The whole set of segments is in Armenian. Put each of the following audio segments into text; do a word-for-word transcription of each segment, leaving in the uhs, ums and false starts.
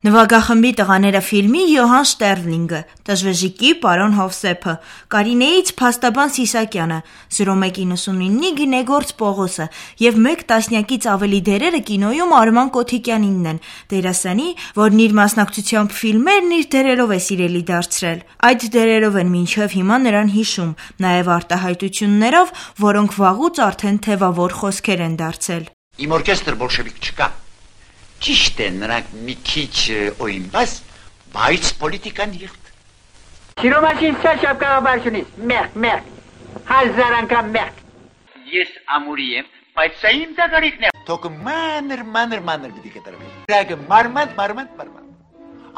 Նվագախմբի տղաները ֆիլմի Յոհան Շտերլինգը, Տժվեժիկի պարոն Հովսեփը, Կարինեից Փաստաբան Սիսակյանը, զրո մեկ իննսունինի Գինեգործ Պողոսը և մեկ տասնյակից ավելի դերերը կինոյում Արման Կոթիկյանինն են, դերասանի, որն իր մասնակցությամբ ֆիլմերն իր դերերով է սիրելի դարձրել։ Այդ դերերով են մինչև հիմա նրան հիշում, նաև արտահայտություններով, որոնք վաղուց արդեն թևավոր խոսքեր են դարձել։ Իմ օրկեստր բոլշևիկ չկա։ Ճիշտ է, նրանք մի քիչ օյնբաս, բայց պոլիտիկան եղտ։ Սիրո մասին սա շապկաղաբարշունից, մեղք, մեղք, հազար անգամ մեղք։ Ես ամուրի եմ, բայց սա իմ դագարիքն է։ Թոքը մանր, մանր, մանր պիտի կտրվի։ Ռագը մարմանդ, մարմանդ, մարմանդ։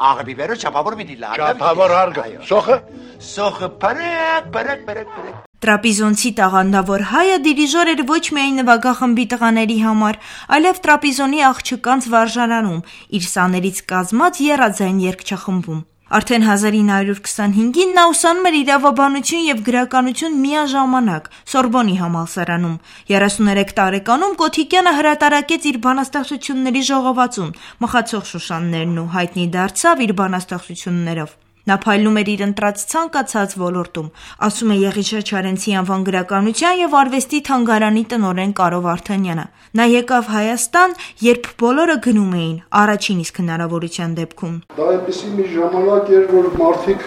Աղը բիբերո չապավոր պիտի լագը։ Չապավոր հարգը, սոխը։ Սոխը պարակ, պարակ, պարակ, պարակ։ Տրապիզոնցի տաղանդավոր հայը դիրիժոր էր ոչ միայն նվագախմբի տղաների համար, այլև տրապիզոնի աղջկանց վարժարանում, իր սաներից կազմած եռաձայն երգչախմբում։ Արդեն հազար ինը հարյուր քսանհինգին նա ուսանում էր իրավաբանություն և գրականություն միաժամանակ Սորբոնի համալսարանում։ երեսուներեք տարեկանում Կոթիկյանը հրատարակեց իր բանաստեղծությունների ժողովածուն «Մխացող շուշաններն» ու հայտնի դարձավ իր բանաստեղծություններով։ Նա փայլում էր իր ընտրած ցանկացած ոլորտում, ասում է Եղիշե Չարենցի անվան գրականության և արվեստի թանգարանի տնօրեն Կարո Վարդանյանը։ Նա եկավ Հայաստան, երբ բոլորը գնում էին, առաջին իսկ հնարավորության դեպքում։ Դա այնպիսի մի ժամանակ էր, որ մարդիկ,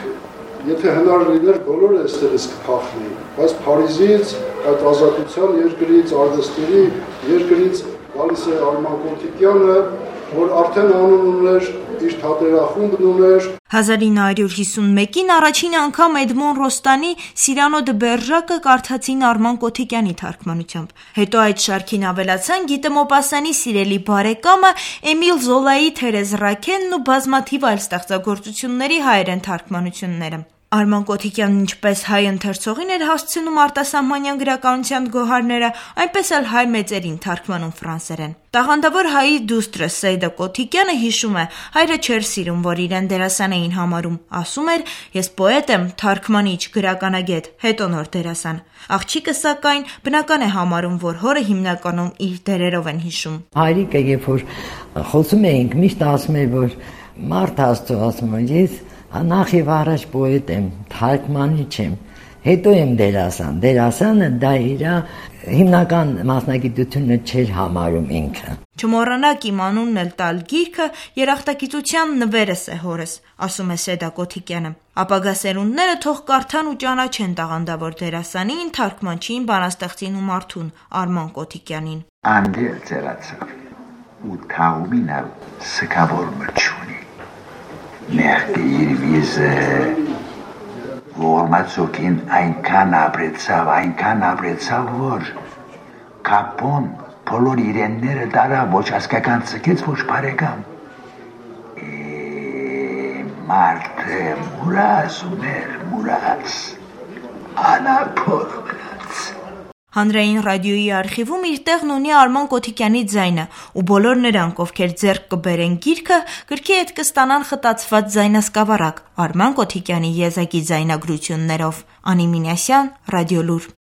եթե հնար լիներ, բոլորը այստեղից կփախնեին, բայց Փարիզից, այդ ազատության երկրից, արվեստների երկրից գալիս է Արման Կոթիկյանը, որ արդեն անուն ուներ, իր թատերախումբն ուներ։ հազար ինը հարյուր հիսունմեկին առաջին անգամ Էդմոն Ռոստանի Սիրանո դը Բերժակը կարդացին Արման Կոթիկյանի թարգմանությամբ։ Հետո այդ շարքին ավելացան Գիտե Մոպասյանի սիրելի բարեկամը Էմիլ Զոլայի Թերեզ Ռաքենն ու բազմաթիվ այլ ստեղծագործությունների հայերեն թարգմանությունները։ Արման Կոթիկյանն ինչպես հայ ընթերցողին էր հասցնում արտասահմանյան գրականության գոհարները, այնպես էլ հայ մեծերին թարգմանում ֆրանսերեն։ Տաղանդավոր հայի դուստրը Սեյդա Կոթիկյանը հիշում է, հայրը չէր սիրում, որ իրեն դերասան էին համարում, ասում էր՝ ես պոետ եմ, թարգմանիչ, գրականագետ, հետո նոր դերասան։ Աղջիկը սակայն բնական է համարում, որ հորը հիմնականում իր դերերով են հիշում։ Հայրիկը երբ որ խոսում էինք, միշտ ասում էր, որ մարդ Աստծո, ասում եմ, ես նախ եւ առաջ պոետ եմ, թարգմանիչ եմ, հետո եմ դերասան։ Դերասանը դա իր հիմնական մասնագիտությունը չէր համարում ինքը։ Չմոռանաք իմ անունն էլ տալ գիրքը երախտագիտության նվերս է հորս, ասում է Սեդա Կոթիկյանը։ Ապագա սերունդները թող կարդան ու ճանաչեն տաղանդավոր դերասանին, թարգմանչին, բանաստեղծին ու մարդուն Արման Կոթիկյանին։ Անդել ծերացավ ու թաղումին ալ սկավոր մրջունի։ Մեղքը իր վիզը որմացոքին այնքան ապրեցավ, այնքան ապրեցավ, որ կապոն բոլոր իրենները դարա ոչ ասկական ծկեց, ոչ բարեկամ։ Մարդը մուրաս ուներ, մուրաս, անապոր մնաց։ Հանրային ռադիոյի արխիվում իր տեղն ունի Արման Կոթիկյանի ձայնը, ու բոլոր նրանք, ովքեր ձեռք կբերեն գիրքը, գրքի հետ կստանան խտացված ձայնասկավառակ Արման Կոթիկյանի եզակի ձայնագրություններով։ Անի Մինասյան, Ռադիոլուր։